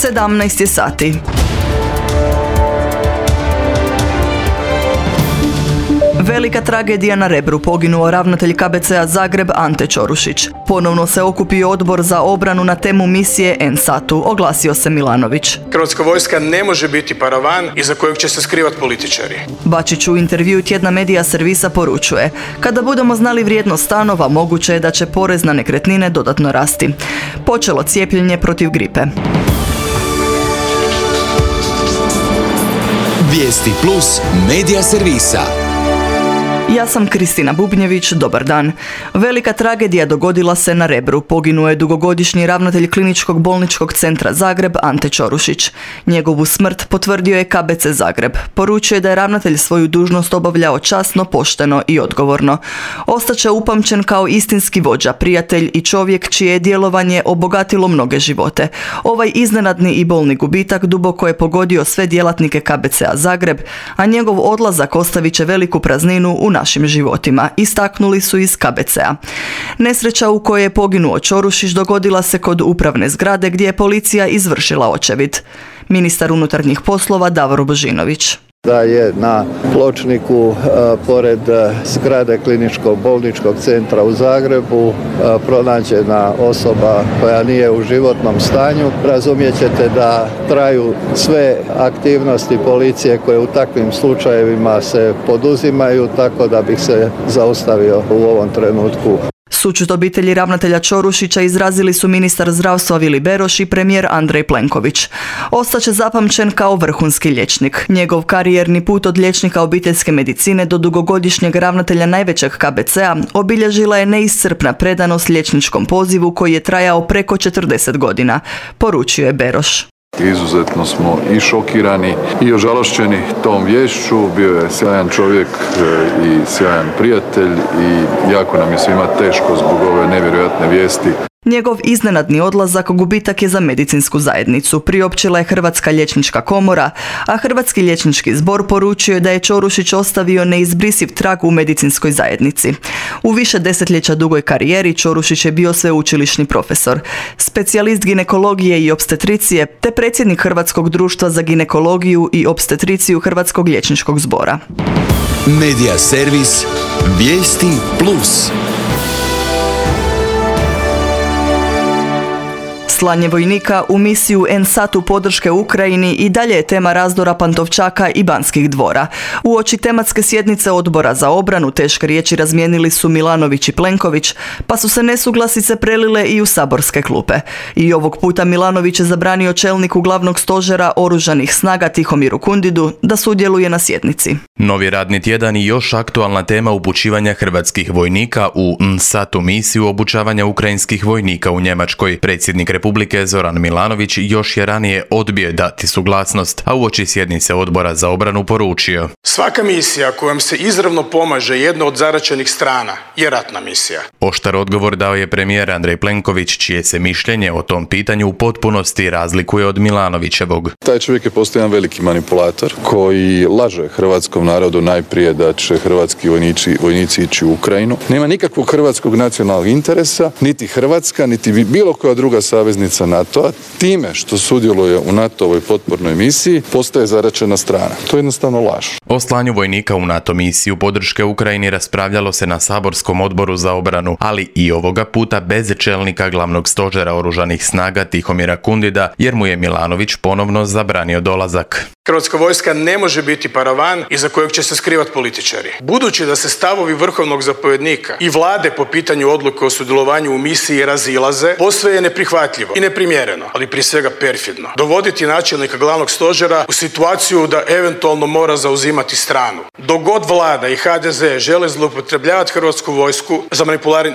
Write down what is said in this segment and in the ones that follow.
17 je sati. Velika tragedija na Rebru, poginuo ravnatelj KBC-a Zagreb Ante Ćorušić. Ponovno se okupio odbor za obranu na temu misije NSAT-u, oglasio se Milanović. Hrvatska vojska ne može biti paravan iza kojeg će se skrivati političari. Bačić u intervjuu tjedna Medija servisa poručuje: kada budemo znali vrijednost stanova, moguće je da će porez na nekretnine dodatno rasti. Počelo cijepljenje protiv gripe. Vijesti plus Medija servisa. Ja sam Kristina Bubnjević, dobar dan. Velika tragedija dogodila se na Rebru. Poginuo je dugogodišnji ravnatelj Kliničkog bolničkog centra Zagreb Ante Ćorušić. Njegovu smrt potvrdio je KBC Zagreb. Poručio je da je ravnatelj svoju dužnost obavljao časno, pošteno i odgovorno. Ostaće upamćen kao istinski vođa, prijatelj i čovjek čije je djelovanje obogatilo mnoge živote. Ovaj iznenadni i bolni gubitak duboko je pogodio sve djelatnike KBC-a Zagreb, a njegov odlazak ostavit će veliku prazninu u našim životima, istaknuli su iz KBC-a. Nesreća u kojoj je poginuo Ćorušić dogodila se kod upravne zgrade gdje je policija izvršila očevid. Ministar unutarnjih poslova Davor Božinović. Da je na pločniku pored zgrade Kliničkog bolničkog centra u Zagrebu pronađena osoba koja nije u životnom stanju. Razumjet ćete da traju sve aktivnosti policije koje u takvim slučajevima se poduzimaju, tako da bih se zaustavio u ovom trenutku. Sućut obitelji ravnatelja Ćorušića izrazili su ministar zdravstva Vili Beroš i premijer Andrej Plenković. Ostaće zapamćen kao vrhunski liječnik. Njegov karijerni put od liječnika obiteljske medicine do dugogodišnjeg ravnatelja najvećeg KBC-a obilježila je neiscrpna predanost liječničkom pozivu koji je trajao preko 40 godina, poručio je Beroš. Izuzetno smo i šokirani i ožalošćeni tom viješću. Bio je sjajan čovjek i sjajan prijatelj i jako nam je svima teško zbog ove nevjerojatne vijesti. Njegov iznenadni odlazak gubitak je za medicinsku zajednicu, priopćila je Hrvatska liječnička komora, a Hrvatski liječnički zbor poručio je da je Ćorušić ostavio neizbrisiv trag u medicinskoj zajednici. U više desetljeća dugoj karijeri Ćorušić je bio sveučilišni profesor, specijalist ginekologije i opstetricije te predsjednik Hrvatskog društva za ginekologiju i opstetriciju Hrvatskog liječničkog zbora. Medija servis Vijesti plus. Slanje vojnika u misiju NSAT-u podrške Ukrajini i dalje je tema razdora Pantovčaka i Banskih dvora. Uoči tematske sjednice odbora za obranu teške riječi razmijenili su Milanović i Plenković, pa su se nesuglasice prelile i u saborske klupe. I ovog puta Milanović je zabranio čelniku glavnog stožera oružanih snaga Tihomiru Kundidu da sudjeluje na sjednici. Novi radni tjedan i još aktualna tema upućivanja hrvatskih vojnika u NSAT-u misiju obučavanja ukrajinskih vojnika u Njemačkoj. Predsjednik Republike Zoran Milanović još je ranije odbio dati suglasnost, a uoči sjednice odbora za obranu poručio: svaka misija kojom se izravno pomaže jedna od zaraćenih strana je ratna misija. Oštar odgovor dao je premijer Andrej Plenković, čije se mišljenje o tom pitanju u potpunosti razlikuje od Milanovićevog. Taj čovjek je postao jedan veliki manipulator koji laže hrvatskom narodu najprije da će hrvatski vojnici ići u Ukrajinu. Nema nikakvog hrvatskog nacionalnog interesa, niti Hrvatska, niti bilo koja druga saveznica NATO-a. Time što sudjeluje u NATO-ovoj potpornoj misiji postaje zaraćena strana. To je jednostavno laž. O slanju vojnika u NATO misiju podrške Ukrajini raspravljalo se na saborskom odboru za obranu, ali i ovoga puta bez čelnika glavnog stožera oružanih snaga Tihomira Kundida, jer mu je Milanović ponovno zabranio dolazak. Hrvatska vojska ne može biti paravan iza kojeg će se skrivati političari. Budući da se stavovi vrhovnog zapovjednika i vlade po pitanju odluke o sudjelovanju u misiji razilaze, posve je neprihvatljivo i neprimjereno, ali prije svega perfidno, dovoditi načelnika glavnog stožera u situaciju da eventualno mora zauzimati stranu. Dok god vlada i HDZ žele zloupotrebljavati hrvatsku vojsku za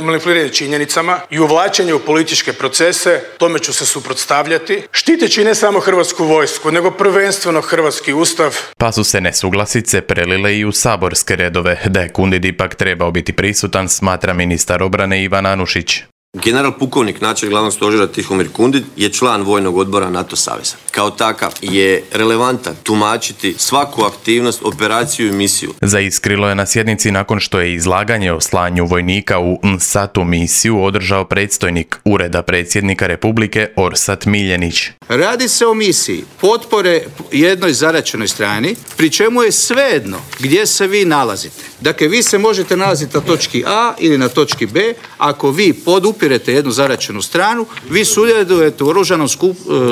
manipuliranje činjenicama i uvlačenje u političke procese, tome ću se suprotstavljati, štiteći ne samo hrvatsku vojsku, nego prvenstveno hrvatski ustav. Pa su se nesuglasice prelile i u saborske redove. Da je Kundid ipak trebao biti prisutan, smatra ministar obrane Ivan Anušić. General pukovnik načelnik glavnog stožera Tihomir Kundin je član vojnog odbora NATO saveza. Kao takav je relevantan tumačiti svaku aktivnost, operaciju i misiju. Zaiskrilo je na sjednici nakon što je izlaganje o slanju vojnika u NSATU misiju održao predstojnik Ureda predsjednika Republike Orsat Miljenić. Radi se o misiji potpore jednoj zaraćenoj strani, pri čemu je svejedno gdje se vi nalazite. Dakle, vi se možete nalaziti na točki A ili na točki B. Ako vi podupirete jednu zaraćenu stranu, vi sudjelujete u oružanom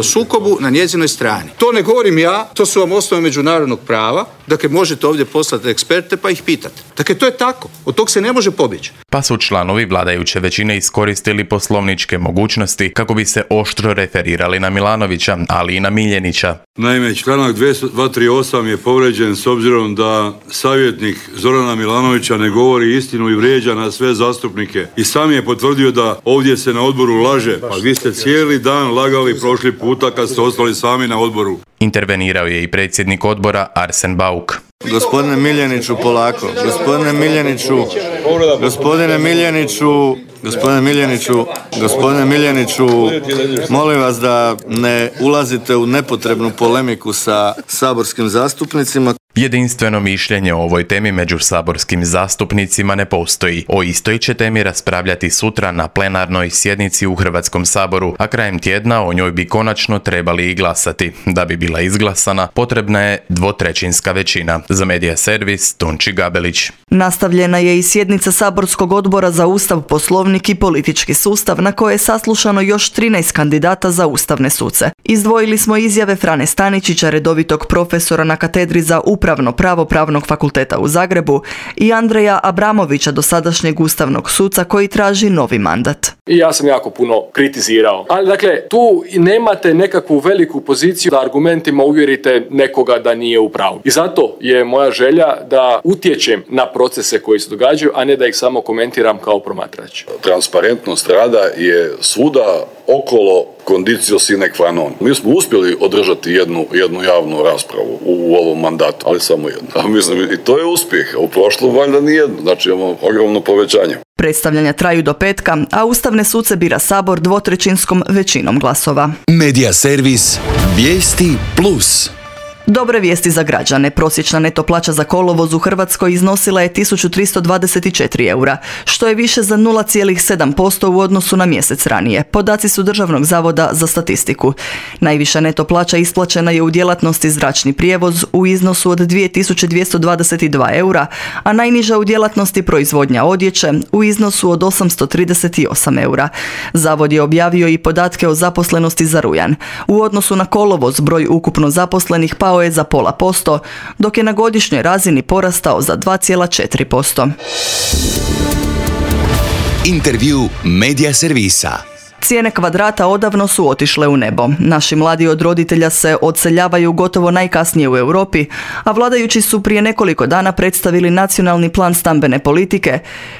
sukobu na njezinoj strani. To ne govorim ja, to su vam osnove međunarodnog prava. Dakle, možete ovdje poslati eksperte pa ih pitati. Dakle, to je tako. Od tog se ne može pobjeći. Pa su članovi vladajuće većine iskoristili poslovničke mogućnosti kako bi se oštro referirali na Milanovića, ali i na Miljenića. Naime, članak 238 je povrijeđen s obzirom da savjetnik Zorana Milanovića ne govori istinu i vrijeđa na sve zastupnike. I sam je potvrdio da ovdje se na odboru laže. Pa vi ste cijeli dan lagali prošli puta kad ste ostali sami na odboru. Intervenirao je i predsjednik odbora Arsen Bauk. Gospodine Miljeniću, polako. Gospodine Miljeniću, molim vas da ne ulazite u nepotrebnu polemiku sa saborskim zastupnicima. Jedinstveno mišljenje o ovoj temi među saborskim zastupnicima ne postoji. O istoj će temi raspravljati sutra na plenarnoj sjednici u Hrvatskom saboru, a krajem tjedna o njoj bi konačno trebali i glasati. Da bi bila izglasana, potrebna je 2/3 većina. Za Medija servis, Tonči Gabelić. Nastavljena je i sjednica Saborskog odbora za Ustav, Poslovnik i politički sustav, na koje je saslušano još 13 kandidata za ustavne suce. Izdvojili smo izjave Frane Staničića, redovitog profesora na katedri za upravno pravo Pravnog fakulteta u Zagrebu, i Andreja Abramovića, dosadašnjeg ustavnog suca koji traži novi mandat. I ja sam jako puno kritizirao. Ali dakle, tu nemate nekakvu veliku poziciju da argumentima uvjerite nekoga da nije u pravu. I zato je moja želja da utječem na procese koji se događaju, a ne da ih samo komentiram kao promatrač. Transparentnost rada je svuda okolo condicio sine qua non. Mi smo uspjeli održati jednu javnu raspravu u ovom mandatu, ali samo jednu. A mislim, i to je uspjeh. U prošlom valjda nijedno. Znači imamo ogromno povećanje. Predstavljanja traju do petka, a ustavne suce bira Sabor 2/3 većinom glasova. Medija servis Vijesti Plus. Dobre vijesti za građane. Prosječna neto plaća za kolovoz u Hrvatskoj iznosila je 1324 eura, što je više za 0,7% u odnosu na mjesec ranije. Podaci su Državnog zavoda za statistiku. Najviša neto plaća isplaćena je u djelatnosti zračni prijevoz u iznosu od 2222 eura, a najniža u djelatnosti proizvodnja odjeće u iznosu od 838 eura. Zavod je objavio i podatke o zaposlenosti za rujan. U odnosu na kolovoz broj ukupno zaposlenih pao je za 0,5%, dok je na godišnjoj razini porastao za 2,4%. Intervju Medija servisa. Cijene kvadrata odavno su otišle u nebo. Naši mladi od roditelja se odseljavaju gotovo najkasnije u Europi, a vladajući su prije nekoliko dana predstavili nacionalni plan stambene politike,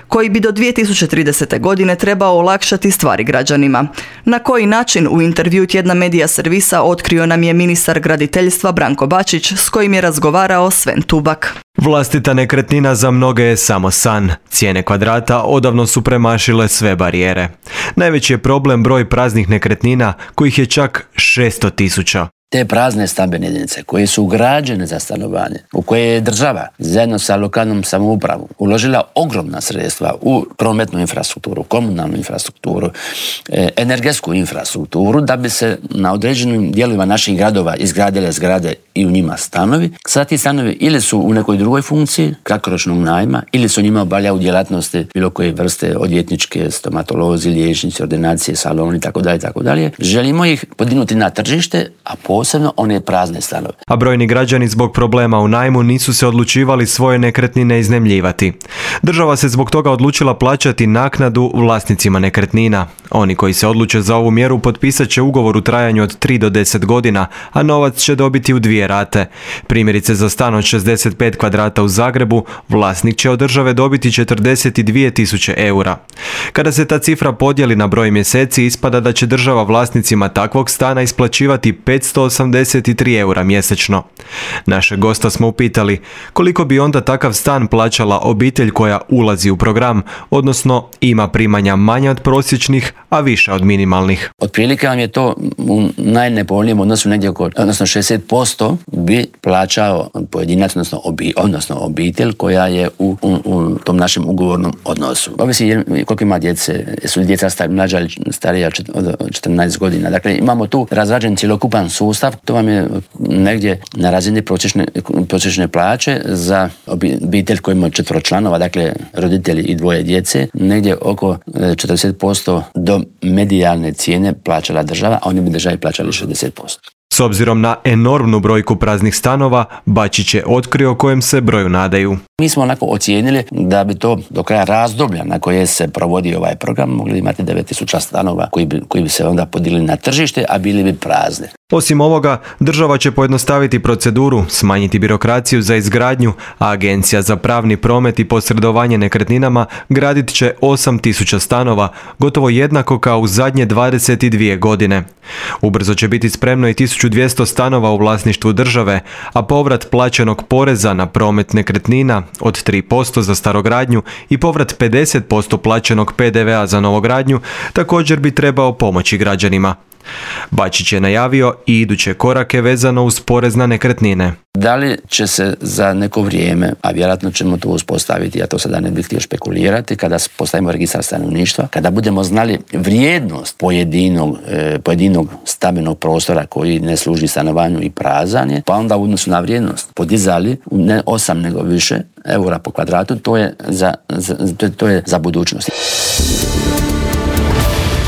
koji bi do 2030. godine trebao olakšati stvari građanima. Na koji način, u intervju tjedna Medija servisa otkrio nam je ministar graditeljstva Branko Bačić, s kojim je razgovarao Sven Tubak. Vlastita nekretnina za mnoge je samo san. Cijene kvadrata odavno su premašile sve barijere. Najveći je problem broj praznih nekretnina, kojih je čak 600.000. Te prazne stambene jedinice koje su ugrađene za stanovanje, u koje je država zajedno sa lokalnom samoupravom uložila ogromna sredstva u prometnu infrastrukturu, komunalnu infrastrukturu, energetsku infrastrukturu, da bi se na određenim dijelovima naših gradova izgradile zgrade i u njima stanovi. Sada ti stanovi ili su u nekoj drugoj funkciji, kratkoročnog najma, ili su njima obavljaju djelatnosti bilo koje vrste, odvjetničke, stomatolozi, liječnici, ordinacije, saloni, itd. Želimo ih podignuti na tržište, a posebno one prazne stanove. A brojni građani zbog problema u najmu nisu se odlučivali svoje nekretnine iznajmljivati. Država se zbog toga odlučila plaćati naknadu vlasnicima nekretnina. Oni koji se odluče za ovu mjeru potpisat će ugovor u trajanju od 3 do 10 godina, a novac će dobiti u 2 rate. Primjerice, za stan od 65 kvadrata u Zagrebu, vlasnik će od države dobiti 42.000 eura. Kada se ta cifra podijeli na broj mjeseci, ispada da će država vlasnicima takvog stana isplaćivati 583 eura mjesečno. Našeg gosta smo upitali koliko bi onda takav stan plaćala obitelj koja ulazi u program, odnosno ima primanja manja od prosječnih, a više od minimalnih. Otprilike vam je to u najnepovoljnijem odnosu negdje odnosno 60% bi plaćao pojedinac, odnosno obitelj koja je u tom našem ugovornom odnosu. Ovisi koliko ima djece, su li djeca mlađa ili starija od 14 godina. Dakle, imamo tu razrađen cjelokupan sustav, to vam je negdje na razini prosječne plaće za obitelj koji ima 4 članova, dakle roditelji i 2 djece, negdje oko 40% do medijalne cijene plaćala država, a oni bi državi plaćali 60%. S obzirom na enormnu brojku praznih stanova, Bačić je otkrio kojem se broju nadaju. Mi smo onako ocijenili da bi to do kraja razdoblja na koje se provodi ovaj program mogli imati 9000 stanova koji bi se onda podigli na tržište, a bili bi prazne. Osim ovoga, država će pojednostaviti proceduru, smanjiti birokraciju za izgradnju, a Agencija za pravni promet i posredovanje nekretninama gradit će 8000 stanova, gotovo jednako kao u zadnje 22 godine. Ubrzo će biti spremno i 1200 stanova u vlasništvu države, a povrat plaćenog poreza na promet nekretnina od 3% za starogradnju i povrat 50% plaćenog PDV-a za novogradnju također bi trebao pomoći građanima. Bačić je najavio i iduće korake vezano uz porez na nekretnine. Da li će se za neko vrijeme, a vjerojatno ćemo to uspostaviti, ja to sada ne bih htio špekulirati, kada postavimo registar stanovništva, kada budemo znali vrijednost pojedinog stambenog prostora koji ne služi stanovanju i prazan je, pa onda u odnosu na vrijednost podizali ne 8 nego više eura po kvadratu, to je za budućnost.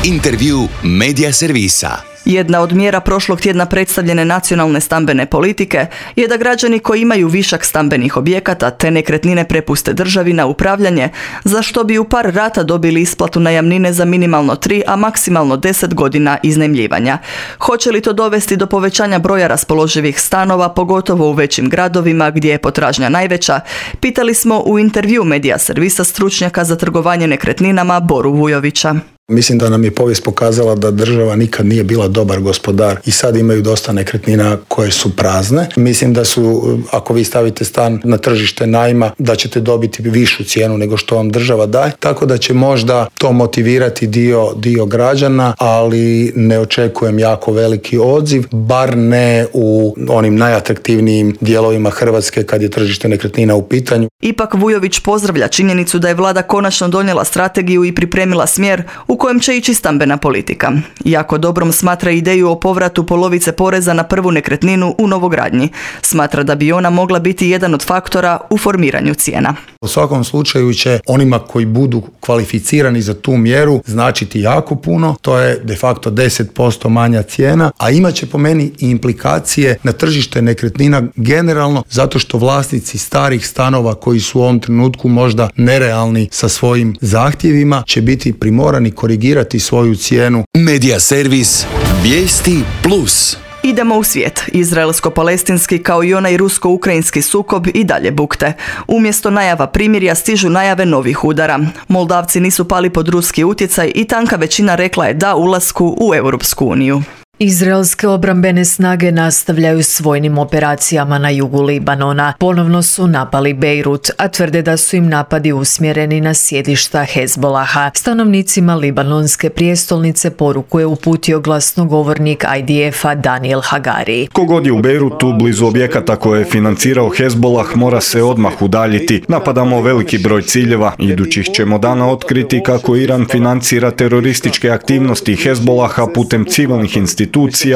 Intervju Medija servisa. Jedna od mjera prošlog tjedna predstavljene nacionalne stambene politike je da građani koji imaju višak stambenih objekata te nekretnine prepuste državi na upravljanje, za što bi u par rata dobili isplatu najamnine za minimalno 3, a maksimalno 10 godina iznajmljivanja. Hoće li to dovesti do povećanja broja raspoloživih stanova, pogotovo u većim gradovima gdje je potražnja najveća, pitali smo u intervju Medija servisa stručnjaka za trgovanje nekretninama Boru Vujovića. Mislim da nam je povijest pokazala da država nikad nije bila dobar gospodar i sad imaju dosta nekretnina koje su prazne. Mislim da su, ako vi stavite stan na tržište najma, da ćete dobiti višu cijenu nego što vam država daje, tako da će možda to motivirati dio građana, ali ne očekujem jako veliki odziv, bar ne u onim najatraktivnijim dijelovima Hrvatske kad je tržište nekretnina u pitanju. Ipak Vujović pozdravlja činjenicu da je vlada konačno donijela strategiju i pripremila smjer u kojem će ići stambena politika. Jako dobrom smatra ideju o povratu polovice poreza na prvu nekretninu u novogradnji. Smatra da bi ona mogla biti jedan od faktora u formiranju cijena. U svakom slučaju će onima koji budu kvalificirani za tu mjeru značiti jako puno, to je de facto 10% manja cijena, a imat će po meni i implikacije na tržište nekretnina generalno, zato što vlasnici starih stanova koji su u ovom trenutku možda nerealni sa svojim zahtjevima će biti primorani korigirati svoju cijenu. Medija servis Vijesti Plus. Idemo u svijet. Izraelsko-palestinski kao i onaj rusko-ukrajinski sukob i dalje bukte. Umjesto najava primirja stižu najave novih udara. Moldavci nisu pali pod ruski utjecaj i tanka većina rekla je da ulasku u Europsku uniju. Izraelske obrambene snage nastavljaju s vojnim operacijama na jugu Libanona. Ponovno su napali Bejrut, a tvrde da su im napadi usmjereni na sjedišta Hezbolaha. Stanovnicima libanonske prijestolnice poruku je uputio glasnogovornik IDF-a Daniel Hagari. Kogod je u Bejrutu blizu objekata koje je financirao Hezbolah mora se odmah udaljiti. Napadamo veliki broj ciljeva. Idućih ćemo dana otkriti kako Iran financira terorističke aktivnosti Hezbolaha putem civilnih institucija,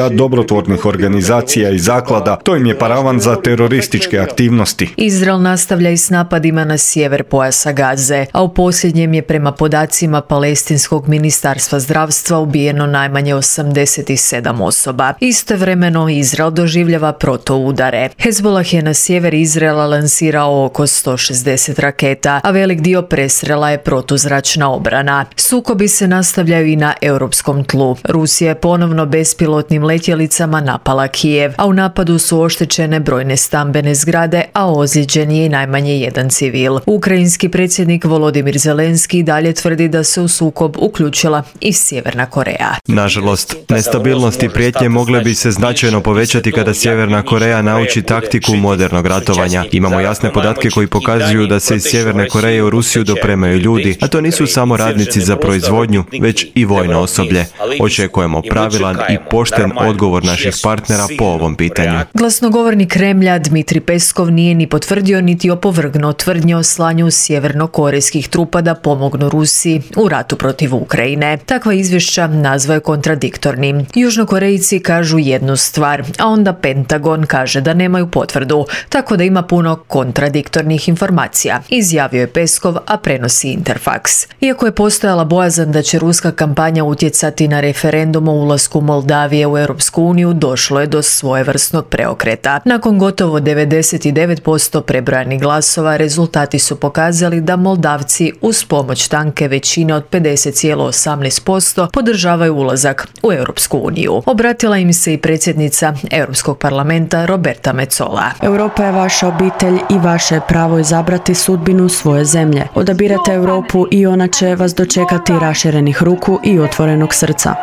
dobrotvornih organizacija i zaklada. To im je paravan za terorističke aktivnosti. Izrael nastavlja i s napadima na sjever pojasa Gaze, a u posljednjem je prema podacima Palestinskog ministarstva zdravstva ubijeno najmanje 87 osoba. Istovremeno Izrael doživljava protuudare. Hezbolah je na sjever Izraela lansirao oko 160 raketa, a velik dio presrela je protuzračna obrana. Sukobi se nastavljaju i na europskom tlu. Rusija je ponovno bez bespilotnim letjelicama napala Kijev, a u napadu su oštećene brojne stambene zgrade, a ozlijeđen je i najmanje jedan civil. Ukrajinski predsjednik Volodimir Zelenski dalje tvrdi da se u sukob uključila i Sjeverna Koreja. Nažalost, nestabilnost i prijetnje mogle bi se značajno povećati kada Sjeverna Koreja nauči taktiku modernog ratovanja. Imamo jasne podatke koji pokazuju da se iz Sjeverne Koreje u Rusiju dopremaju ljudi, a to nisu samo radnici za proizvodnju, već i vojno osoblje. Očekujemo pravilan i pošten odgovor naših partnera po ovom pitanju. Glasnogovornik Kremlja Dmitri Peskov nije ni potvrdio niti opovrgnuo tvrdnje o slanju sjevernokorejskih trupa da pomognu Rusiji u ratu protiv Ukrajine. Takva izvješća nazvao je kontradiktornim. Južnokorejci kažu jednu stvar, a onda Pentagon kaže da nemaju potvrdu, tako da ima puno kontradiktornih informacija, izjavio je Peskov, a prenosi Interfax. Iako je postojala bojazan da će ruska kampanja utjecati na referendum o ulasku Moldavije u Europsku uniju, došlo je do svojevrsnog preokreta. Nakon gotovo 99% prebrojanih glasova, rezultati su pokazali da Moldavci uz pomoć tanke većine od 50,18% podržavaju ulazak u Europsku uniju. Obratila im se i predsjednica Europskog parlamenta Roberta Metsola. Europa je vaša obitelj i vaše je pravo izabrati sudbinu svoje zemlje. Odabirate Europu i ona će vas dočekati raširenih ruku i otvorenog srca.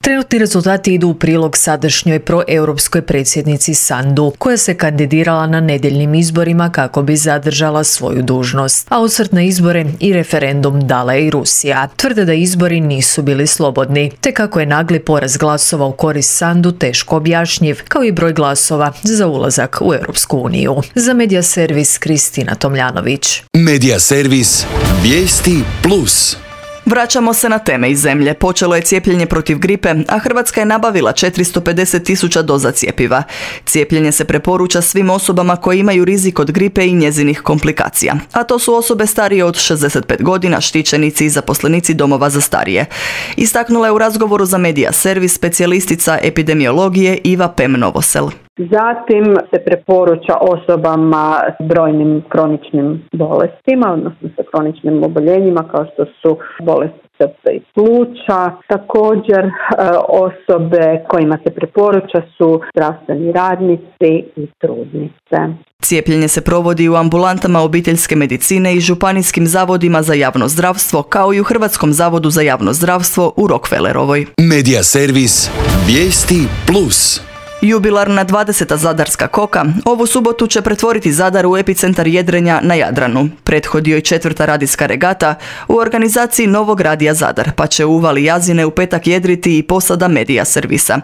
Trenutni rezultati idu u prilog sadašnjoj proeuropskoj predsjednici Sandu, koja se kandidirala na nedjeljnim izborima kako bi zadržala svoju dužnost. A osvrt na izbore i referendum dala je i Rusija. Tvrde da izbori nisu bili slobodni, te kako je nagli poraz glasova u korist Sandu teško objašnjiv, kao i broj glasova za ulazak u Europsku uniju. Za Medija servis Kristina Tomljanović. Medija servis Vijesti Plus. Vraćamo se na teme iz zemlje. Počelo je cijepljenje protiv gripe, a Hrvatska je nabavila 450.000 doza cjepiva. Cijepljenje se preporuča svim osobama koje imaju rizik od gripe i njezinih komplikacija, a to su osobe starije od 65 godina, štićenici i zaposlenici domova za starije. Istaknula je u razgovoru za Medija servis specijalistica epidemiologije Iva Pem Novosel. Zatim se preporuča osobama s brojnim kroničnim bolestima, odnosno sa kroničnim oboljenjima kao što su bolesti srca i pluća. Također osobe kojima se preporuča su zdravstveni radnici i trudnice. Cijepljenje se provodi u ambulantama obiteljske medicine i županijskim zavodima za javno zdravstvo, kao i u Hrvatskom zavodu za javno zdravstvo u Rockefellerovoj. Medija servis Vijesti Plus. Jubilarna 20. Zadarska koka ovu subotu će pretvoriti Zadar u epicentar jedrenja na Jadranu. Prethodio i 4. radijska regata u organizaciji Novog radija Zadar, pa će u uvali Jazine u petak jedriti i posada Medija servisa.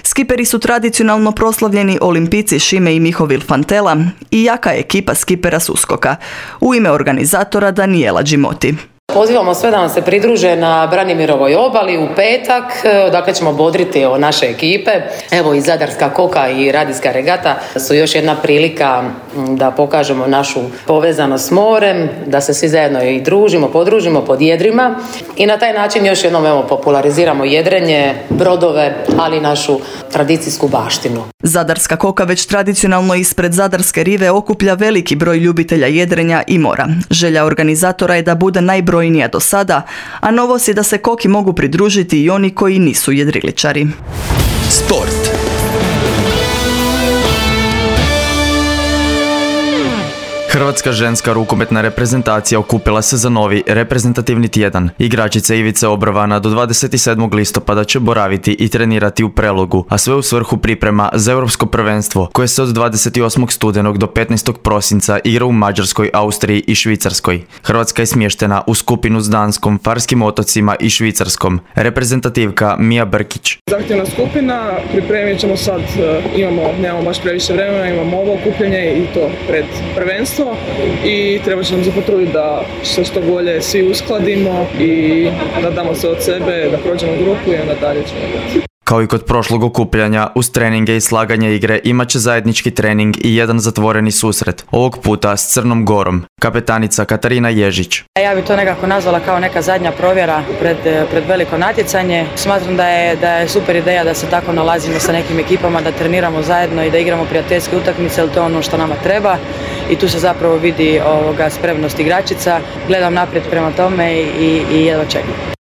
Skiperi su tradicionalno proslavljeni olimpijci Šime i Mihovil Fantela i jaka ekipa skipera s Uskoka. U ime organizatora Daniela Đimoti. Pozivamo sve da nam se pridruže na Branimirovoj obali u petak, dakle ćemo bodriti naše ekipe. Evo i Zadarska koka i radijska regata su još jedna prilika da pokažemo našu povezanost s morem, da se svi zajedno i družimo, podružimo pod jedrima i na taj način još jednom populariziramo jedrenje, brodove, ali i našu tradicijsku baštinu. Zadarska koka već tradicionalno ispred Zadarske rive okuplja veliki broj ljubitelja jedrenja i mora. Želja organizatora je da bude najbrojnija do sada, a novost je da se koki mogu pridružiti i oni koji nisu jedriličari. Sport. Hrvatska ženska rukometna reprezentacija okupila se za novi reprezentativni tjedan. Igračica Ivica Obrovana do 27. listopada će boraviti i trenirati u Prelogu, a sve u svrhu priprema za Europsko prvenstvo, koje se od 28. studenog do 15. prosinca igra u Mađarskoj, Austriji i Švicarskoj. Hrvatska je smještena u skupinu s Danskom, Farskim otocima i Švicarskom. Reprezentativka Mija Brkić. Zahtjevna skupina, pripremit ćemo sad, nemamo baš previše vremena, imamo ovo okupljanje i to pred prvenstvo. I treba će nam se potruditi da se što bolje svi uskladimo i da damo se od sebe, da prođemo grupu i onda dalje ćemo biti. Kao i kod prošlog okupljanja, uz treninge i slaganje igre imat će zajednički trening i jedan zatvoreni susret, ovog puta s Crnom Gorom. Kapetanica Katarina Ježić. Ja bih to nekako nazvala kao neka zadnja provjera pred veliko natjecanje. Smatram da je super ideja da se tako nalazimo sa nekim ekipama, da treniramo zajedno i da igramo prijateljske utakmice, jer to je ono što nama treba. I tu se zapravo vidi spremnost igračica. Gledam naprijed prema tome i jedva čekam.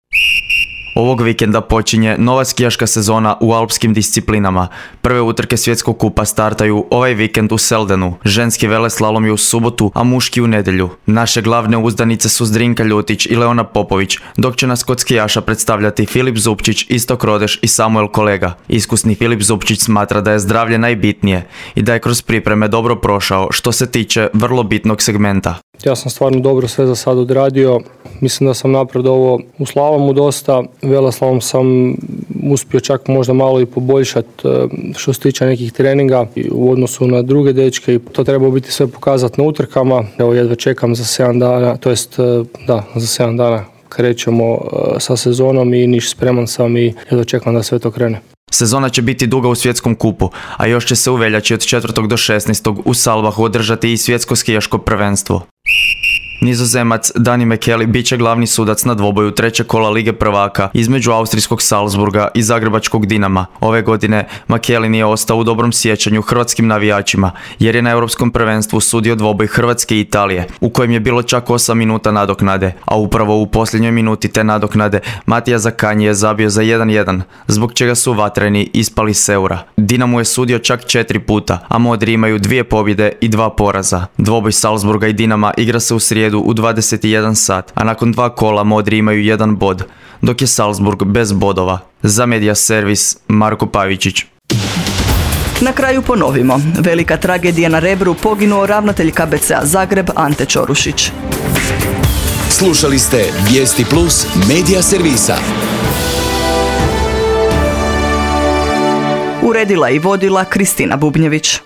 Ovog vikenda počinje nova skijaška sezona u alpskim disciplinama. Prve utrke svjetskog kupa startaju ovaj vikend u Seldenu. Ženski veleslalom je u subotu, a muški u nedjelju. Naše glavne uzdanice su Zdrinka Ljutić i Leona Popović, dok će nas kod skijaša predstavljati Filip Zupčić, Istok Rodeš i Samuel Kolega. Iskusni Filip Zupčić smatra da je zdravlje najbitnije i da je kroz pripreme dobro prošao što se tiče vrlo bitnog segmenta. Ja sam stvarno dobro sve za sad odradio. Mislim da sam napredovao u slalomu dosta. Veleslalom sam uspio čak možda malo i poboljšati što se tiče nekih treninga u odnosu na druge dečke i to treba biti sve pokazati na utrkama. Evo jedva čekam za 7 dana, to jest za 7 dana krećemo sa sezonom i niš spreman sam i jedva čekam da sve to krene. Sezona će biti duga u svjetskom kupu, a još će se u veljači od 4. do 16. u Salvahu održati i svjetsko skijaško prvenstvo. Nizozemac Danny McKelly bit će glavni sudac na dvoboju trećeg kola Lige prvaka između austrijskog Salzburga i zagrebačkog Dinama. Ove godine McKelly nije ostao u dobrom sjećanju hrvatskim navijačima jer je na europskom prvenstvu sudio dvoboj Hrvatske i Italije u kojem je bilo čak 8 minuta nadoknade, a upravo u posljednjoj minuti te nadoknade Matija Zakanji je zabio za 1-1, zbog čega su vatreni ispali s Eura. Dinamo je sudio čak 4 puta, a modri imaju 2 pobjede i 2 poraza. Dvoboj Salzburga i Dinama igra se u srijedu u 21 sat, a nakon 2 kola modri imaju 1 bod, dok je Salzburg bez bodova. Za Media Servis, Marko Pavičić. Na kraju ponovimo. Velika tragedija na Rebru, poginuo ravnatelj KBC-a Zagreb Ante Čorušić. Slušali ste Vijesti Plus Media Servisa. Uredila i vodila Kristina Bubnjević.